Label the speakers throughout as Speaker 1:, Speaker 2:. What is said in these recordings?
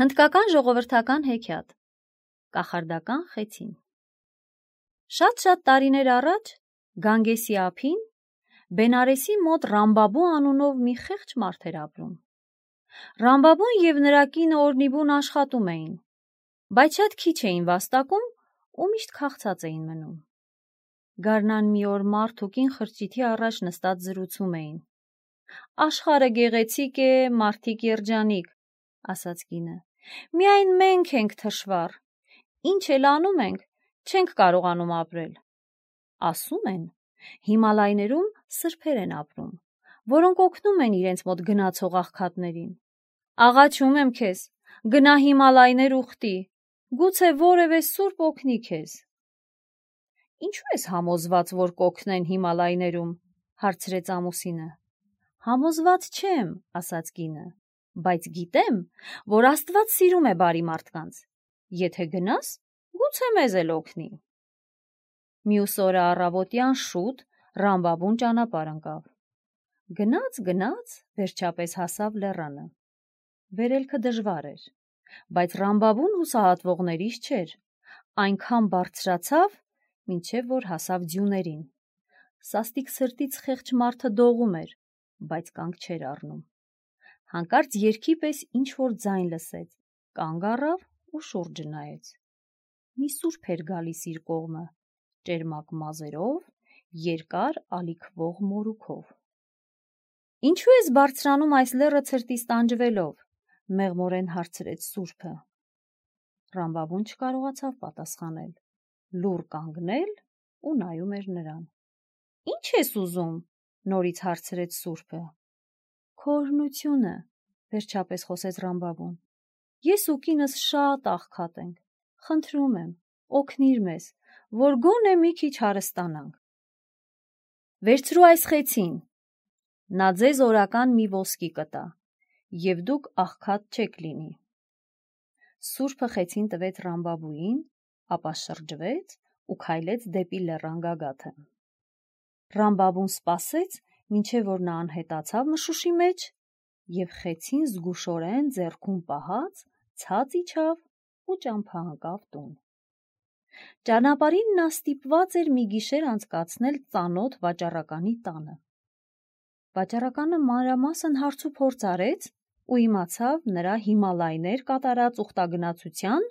Speaker 1: Հնդկական ժողովրդական հեքիաթ Կախարդական խեցին Շատ տարիներ առաջ Գանգեսի ափին Բենարեսի մոտ Ռամբաբու անունով մի խեղճ մարդ էր ապրում։ Ռամբաբուն և նրա կինը օրնիբուն աշխատում էին, բայց շատ քիչ էին վաստակում ու միշտ քաղցած էին մնում։ Գարնան մի օր մարդ ու կին խրճիթի առաջ նստած զրուցում էին։ «Աշխարհը գեղեցիկ է, մարդիկ երջանիկ», ասաց կինը, «միայն մենք ենք թշվառ, ինչ էլ անում ենք, չենք կարողանում ապրել»։ Ասում են, Հիմալայներում սրբեր են ապրում, որոնք օգնում են իրենց մոտ գնացող աղքատներին։ Աղաչում եմ քեզ, գնա Հիմալայներ ուխտի, գուցե որևէ սուրբ օգնի քեզ։ Ինչու ես համոզված, որ կօգնեն Հիմալայներում, հարցրեց ամուսինը։ Համոզված չեմ, ասաց կինը, բայց գիտեմ, որ Աստված սիրում է բարի մարդկանց։ Եթե գնաս, գուցե մեզ էլ օգնի։ Մյուս օրը առավոտյան շուտ Ռամբաբուն ճանապարհ ընկավ։ Գնաց, վերջապես հասավ լեռանը։ Վերելքը դժվար էր, բայց Ռամբաբուն հուսահատվողներից չէր, այնքան բարձրացավ, մինչև որ հասավ ձյուներին։ Սաստիկ սրտից խեղճ մարդը դողում էր, բայց կանգ չէր առնում։ Հանկարծ երգի պես ինչ-որ ձայն լսեց, կանգ առավ ու շուրջը նայեց։ Մի սուրբ էր գալիս իր կողմը, ճերմակ մազերով, երկար ալիքվող մորուքով։ Ինչու ես բարձրանում այս լեռը ցրտից տանջվելով, մեղմորեն հարցրեց սուրբը։ Ռամբաբուն չկարողացավ պատասխանել, լուռ կանգնել ու նայում էր նրան։ Ինչ ես ուզում, նորից հարցրեց սուրբը։ Քո օրհնությունը, վերջապես խոսեց Ռամբաբուն։ Ես ու կինս շատ աղքատ ենք, խնդրում եմ, օգնիր մեզ, որ գոնե մի քիչ հարստանանք։ Վերցրու այս խեցին, նա ձեզ օրական մի ոսկի կտա, և դուք աղքատ չեք լինի։ Սուրբը խեցին տվեց Ռամբաբուին, ապա շրջվեց ու քայլեց դեպի լեռան գագաթը։ Ռամբաբուն սպասեց, մինչև որ նա անհետացավ մշուշի մեջ, և խեցին զգուշորեն ձեռքում պահած ցած իջավ ու ճամփա ընկավ տուն։ Ճանապարհին նա ստիպված էր մի գիշեր անցկացնել ծանոթ վաճառականի տանը։ Վաճառականը մանրամասն հարցուփորձ արեց ու իմացավ նրա Հիմալայներ կատարած ուխտագնացության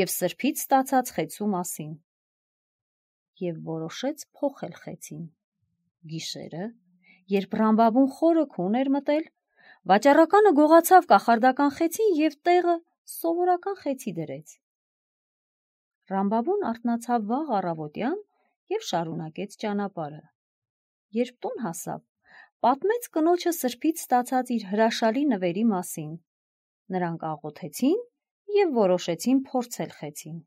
Speaker 1: և սրբից ստացած խեցու մասին, և որոշեց փոխել խեցին։ Գիշերը, երբ Ռամբաբուն խորը քուն էր մտել, վաճառականը գողացավ կախարդական խեցին և տեղը սովորական խեցի դրեց։ Ռամբաբուն արթնացավ վաղ առավոտյան և շարունակեց ճանապարհը։ Երբ տուն հասավ, պատմեց կնոջը սրբից ստացած իր հրաշալի նվերի մասին։ Նրանք աղոթեցին և որոշեցին փորձել խեցին։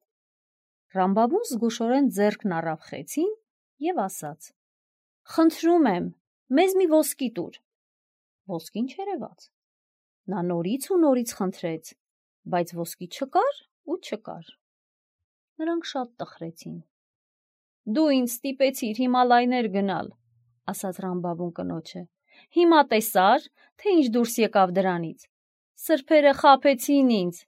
Speaker 1: Ռամբաբուն զգուշորեն ձեռքն առավ խեցին և ասաց. «Խնդրում եմ, մեզ մի ոսկի տուր»։ Ոսկին չերևաց։ Նա նորից ու նորից խնդրեց, բայց ոսկի չկար ու չկար։ Նրանք շատ տխրեցին։ «Դու ինձ ստիպեցիր Հիմալայներ գնալ», ասաց Ռամբաբուն կնոջը։ «Հիմա տեսա՞ր, թե ինչ դուրս եկավ դրանից։ Սրբերը խաբեցին ինձ»։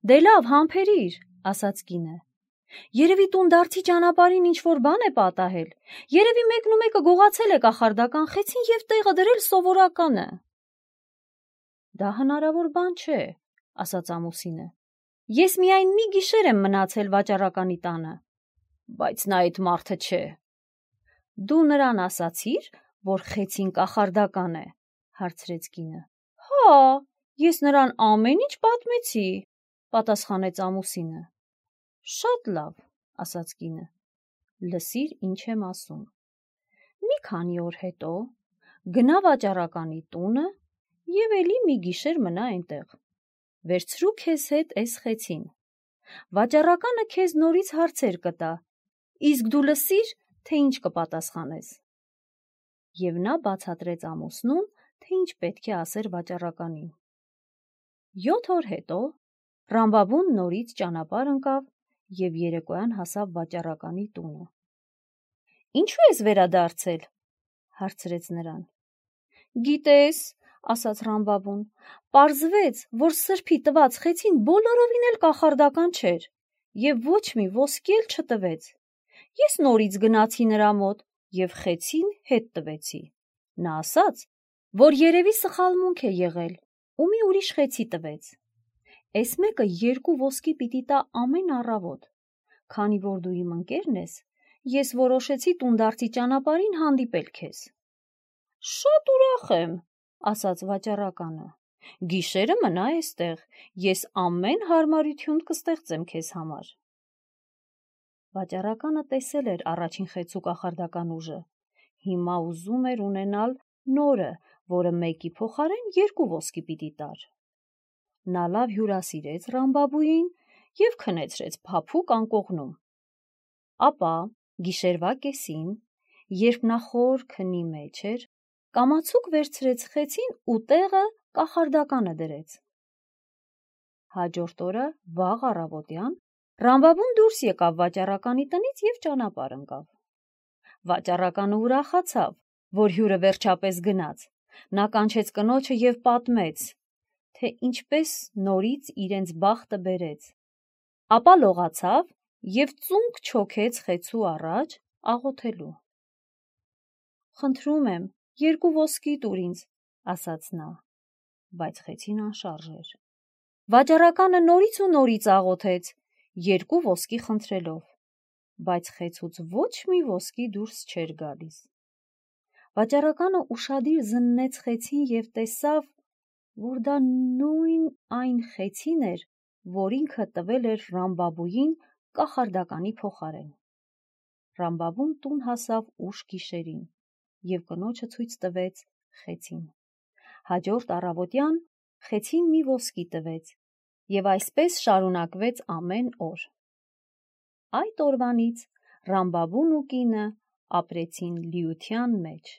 Speaker 1: Դե լավ, համբերիր, ասաց կինը։ Երևի տունդարձի ճանապարհին ինչ-որ բան է պատահել, երևի մեկնումեկը գողացել է կախարդական խեցին և տեղը դրել սովորականը։ Դա հնարավոր բան չէ, ասաց ամուսինը։ Ես միայն մի գիշեր եմ մնացել վաճառականի տանը, բայց նա այդ մարդը չէ։ Դու նրան ասացի՞ր, որ խեցին կախարդական է, հարցրեց կինը։ Հա, ես նրան ամեն ինչ պատմեցի, պատասխանեց ամուսինը։ Շատ լավ, ասաց կինը, լսիր, ինչ եմ ասում։ Մի քանի օր հետո գնա վաճառականի տունը և էլի մի գիշեր մնա այնտեղ։ Վերցրու քեզ հետ էս խեցին։ Վաճառականը քեզ նորից հարցեր կտա, իսկ դու լսիր, թե ինչ կպատասխանես։ Եվ նա բացատրեց ամուսնուն, թե ինչ պետք է ասեր վաճառականին։ 7 օր հետո Ռամբաբուն նորից ճանապարհ ընկավ և երեկոյան հասավ վաճառականի տունը։ Ինչու ես վերադարձել, հարցրեց նրան։ Գիտես, ասաց Ռամբաբուն, պարզվեց, որ սրբի տված խեցին բոլորովին էլ կախարդական չէր, և ոչ մի ոսկի էլ չտվեց։ Ես նորից գնացի նրա մոտ և խեցին հետ տվեցի։ Նա ասաց, որ երևի սխալմունք է եղել ու մի ուրիշ խեցի տվեց։ Էս մեկը 2 ոսկի պիտի տա ամեն առավոտ։ Քանի որ դու իմ ընկերն ես, ես որոշեցի տունդարձի ճանապարհին հանդիպել քեզ։ Շատ ուրախ եմ, ասաց վաճառականը։ Գիշերը մնա էստեղ, ես ամեն հարմարություն կստեղծեմ քեզ համար։ Վաճառականը տեսել էր առաջին խեցու կախարդական ուժը։ Հիմա ուզում էր ունենալ նորը, որը մեկի փոխարեն 2 ոսկի պիտի տար։ Նա լավ հյուրասիրեց Ռամբաբուին և քնեցրեց փափուկ անկողնում։ Ապա գիշերվա կեսին, երբ նա խոր քնի մեջ էր, կամացուկ վերցրեց խեցին ու տեղը կախարդականը դրեց։ Հաջորդ օրը վաղ առավոտյան Ռամբաբուն դուրս եկավ վաճառականի տնից և ճանապարհ ընկավ։ Վաճառականը ուրախացավ, որ հյուրը վերջապես գնաց։ Նա կանչեց կնոջը և պատմեց, թե ինչպես նորից իրենց բախտը բերեց։ Ապա լողացավ և ծունկ չոքեց խեցու առաջ աղոթելու։ Խնդրում եմ, 2 ոսկի տուր ինձ, ասաց նա, բայց խեցին անշարժ էր։ Վաճառականը նորից ու նորից աղոթեց, 2 ոսկի խնդրելով, բայց խեցուց ոչ մի ոսկի դուրս չէր գալիս։ Վաճառականը ուշադիր զննեց խեցին և տեսավ, որ դա նույն այն խեցին էր, որ ինքը տվել էր Ռամբաբուին կախարդականի փոխարեն։ Ռամբաբուն տուն հասավ ուշ գիշերին և կնոջը ցույց տվեց խեցին։ Հաջորդ առավոտյան խեցին մի ոսկի տվեց և այսպես շարունակվեց ամեն օր։ Այդ օրվանից Ռամբաբուն ու կինը ապրեցին լիության մեջ։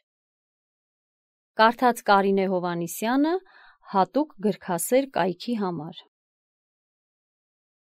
Speaker 1: Կարդաց Կարինե Հովհաննիսյանը հատուկ գրքասեր կայքի համար։